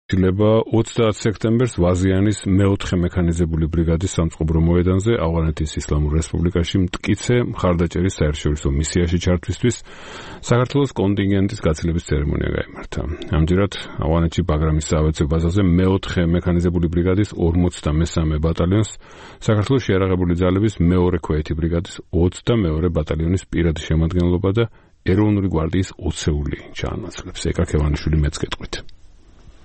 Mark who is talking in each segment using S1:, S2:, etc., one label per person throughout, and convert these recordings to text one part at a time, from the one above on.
S1: ილება 30 სექტემბერს ვაზიანის მეოთხე მექანიზებული ბრიგადის სამწყობრო მოედანზე ავღანეთის ისლამურ რესპუბლიკაში მტკიცე მხარდაჭერის საერთაშორისო მისიაში ჩართვისთვის საქართველოს კონტინგენტის გაცილების ცერემონია გაიმართა. ამჯერად ავღანეთში ბაგრამის საავიაციო ბაზაზე მეოთხე მექანიზებული ბრიგადის 43 ბატალიონს, საქართველოს შეიარაღებული ძალების მეორე ქვეითი ბრიგადის 22 ბატალიონის პირადი შემადგენლობა და ეროვნული გვარდიის 20-ეული ჩაანაცვლებს. ეკა ქევანიშვილი მეც გეტყვით.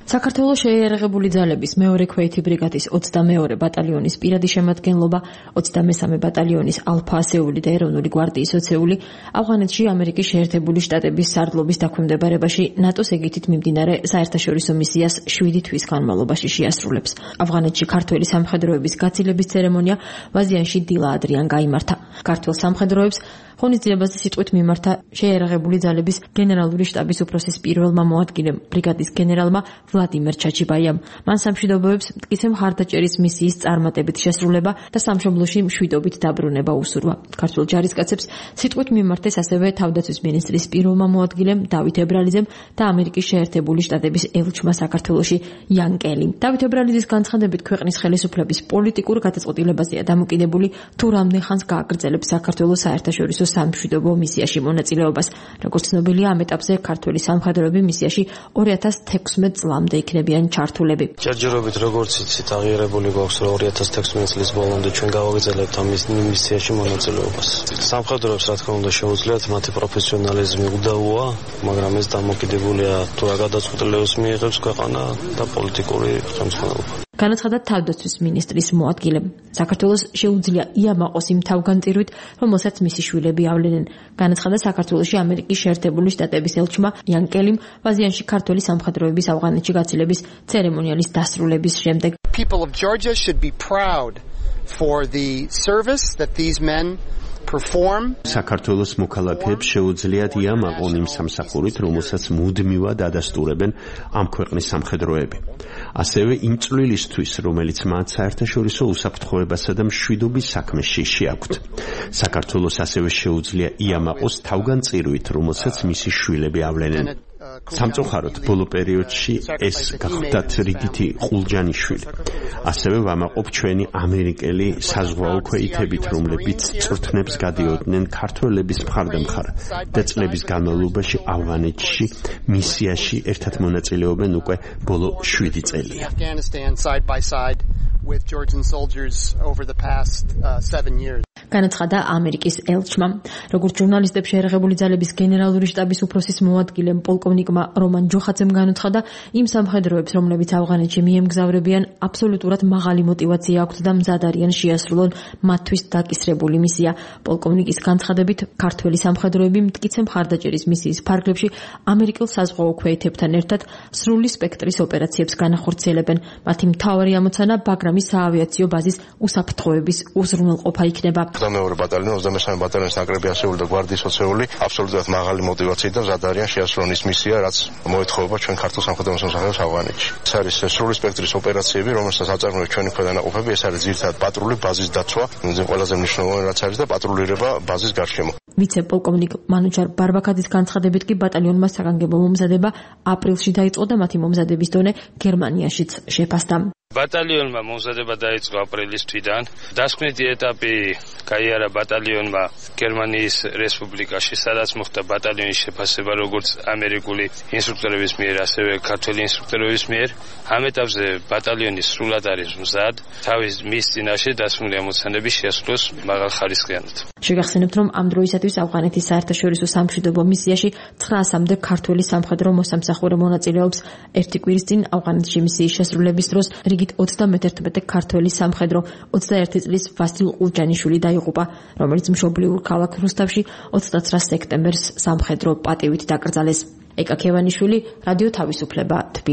S2: საქართველოს შეიარაღებული ძალების მეორე ქვეითი ბრიგადის 22 ბატალიონის პირადი შემადგენლობა, 23 ბატალიონის ალფა ასეული და ეროვნული გვარდიის 20-ეული ავღანეთში ამერიკის შეერთებული შტატების სარდლობის დაქვემდებარებაში ნატოს ეგიდით მიმდინარე საერთაშორისო მისიას 7 თვის განმავლობაში შეასრულებს. ავღანეთში ქართველი სამხედროების გაცილების ცერემონია ვაზიანში დილა ადრიან გაიმართა. ქართველ სამხედროებს ღონისძიებაზე სიტყვით მიმართა შეიარაღებული ძალების გენერალური შტაბის უფროსის პირველმა მოადგილემ ბრიგადის გენერალმა ვლადიმერ ჩაჩიბაიამ. მან სამშვიდობოებს მტკიცე მხარდაჭერის მისიის წარმატებით შესრულება და სამშობლოში მშვიდობით დაბრუნება უსურვა. ქართულ ჯარისკაცებს სიტყვით მიმართეს ასევე თავდაცვის მინისტრის პირველმა მოადგილემ დავით ებრალიძემ და ამერიკის შეერთებული შტატების ელჩმა საქართველოში იან კელიმ. დავით ებრალიძის განცხადებით ქვეყნის ხელისუფლების პოლიტიკურ გადაწყვეტილებაზეა დამოკიდებული თუ რამდენ ხანს გააგრძელებს საქართველოს საერთაშორისო სამშვიდობო მისიაში მონაწილეობას. როგორც ცნობილია, ამ ეტაპზე ქართველი სამხედროები მისიაში 2016 წლამდე იქნებიან ჩართულები.
S3: ჯერჯერობით როგორც იცით, აღიარებული გვაქვს, რომ 2016 წლის ბოლომდე ჩვენ გავაგრძელებთ ამ მისიაში მონაწილეობას. სამხედროებს რა თქმა უნდა შეუძლიათ მათი პროფესიონალიზმი უდავოა, მაგრამ ეს დამოკიდებულია თუ რა გადაწყვეტილებას მიიღებს ქვეყანა და პოლიტიკური ხელმძღვანელობა.
S2: განაცხადა თავდაცვის მინისტრის მოადგილემ. საქართველოს შეუძლია იამაყოს იმ თავგანწირვით, რომელსაც მისი შვილები ავლენენ. განაცხადა საქართველოში ამერიკის შეერთებული შტატების ელჩმა იან კელიმ ვაზიანში ქართველი სამხედროების ავღანეთში გაცილების ცერემონიალის დასრულების შემდეგ.
S4: People of Georgia should be proud for the service that these men perform.
S5: საქართველოს მოქალაქეებს შეუძლიათ იამაყონ იმ სამსახურით, რომელსაც მუდმივად ადასტურებენ ამ ქვეყნის სამხედროები. ასევე იმ წვლილისთვის, რომელიც მათ საერთაშორისო უსაფრთხოებასა და მშვიდობის საქმეში შეაქვთ. საქართველოს ასევე შეუძლია იამაყოს თავგანწირვით, რომელსაც მისი შვილები ავლენენ. სამწუხაროდ, ბოლო პერიოდში ეს გახდათ რიგითი ყულჯანიშვილი. ასევე ვამაყობ ჩვენი ამერიკელი საზღვაო ქვეითებით, რომლებიც წვრთნებს გადიოდნენ ქართველების მხარდამხარ და წლების განმავლობაში ავღანეთში მისიაში ერთად მონაწილეობენ უკვე ბოლო 7 წელია.
S4: With Georgian soldiers over the past 7 years.
S2: განაცხადა ამერიკის ელჩმა. როგორც ჟურნალისტებს შეიარაღებული ძალების გენერალური შტაბის უფროსის მოადგილემ პოლკოვნიკმა რომან ჯოხაძემ განაცხადა, იმ სამხედროებს, რომლებიც ავღანეთში მიემგზავრებიან, აბსოლუტურად მაღალი мотиваცია აქვთ და მზად არიან შეასრულონ მათთვის დაკისრებული მისია. პოლკოვნიკის განცხადებით, ქართველი სამხედროები მტკიცე მხარდაჭერის მისიის ფარგლებში ამერიკელ საზღვაო ქვეითებთან ერთად სრული სპექტრის ოპერაციებს განახორციელებენ. მათი მთავარი ამოცანა ბაგრამის საავიაციო ბაზის უსაფრთხოების უზრუნველყოფა იქნება.
S3: 22 ბატალიონი, 23 ბატალიონის ნაკრები ასეული და გვარდიის 20-ეული აბსოლუტურად მაღალი мотиваციით და მზად არიან შეასრულონ ის მისია, რაც მოეთხოვება ჩვენ ქართულ სამხედრო მოსამსახურეებს ავღანეთში. ეს არის სრული სპექტრის ოპერაციები, რომელსაც აწარმოებს ჩვენი ქვედანაყოფები, ეს არის ძირითადად პატრული ბაზის დაცვა, ყველაზე მნიშვნელოვანი რაც არის და პატრულირება ბაზის გარშემო.
S2: ვიცე-პოლკოვნიკ მანუჩარ ბარბაქაძის განცხადებით კი ბატალიონმა საგანგებო მომზადება აპრილში დაიწყო და მათი მომზადების დონე გერმანიაშიც შეფასდა.
S6: ბატალიონმა მომზადება დაიწყო აპრილის თვიდან. დასკვნითი ეტაპი გაიარა ბატალიონმა გერმანიის რესპუბლიკაში, სადაც მოხდა ბატალიონის შეფასება როგორც ამერიკული ინსტრუქტორების მიერ, ასევე ქართველი ინსტრუქტორების მიერ. ამ ეტაპზე ბატალიონი სრულად არის მზად, თავის მის წინაშე დასმული ამოცანების შეასრულოს მაღალხარისხიანად.
S2: შეგახსენებთ, რომ ამ დროისათვის ავღანეთის საერთაშორისო სამშვიდობო მისიაში 900-მდე ქართველი სამხედრო მოსამსახურე მონაწილეობს. ერთი კვირის წინ ავღანეთში მისიის შესრულების დროს რიგით 31 ქართველი სამხედრო 21 წლის ვასილ ყულჯანიშვილი დაიღუპა, რომელიც მშობლიურ ქალაქ რუსთავში 29 სექტემბერს სამხედრო პატივით დაკრძალეს. ეკა ქევანიშვილი, რადიო თავისუფლება.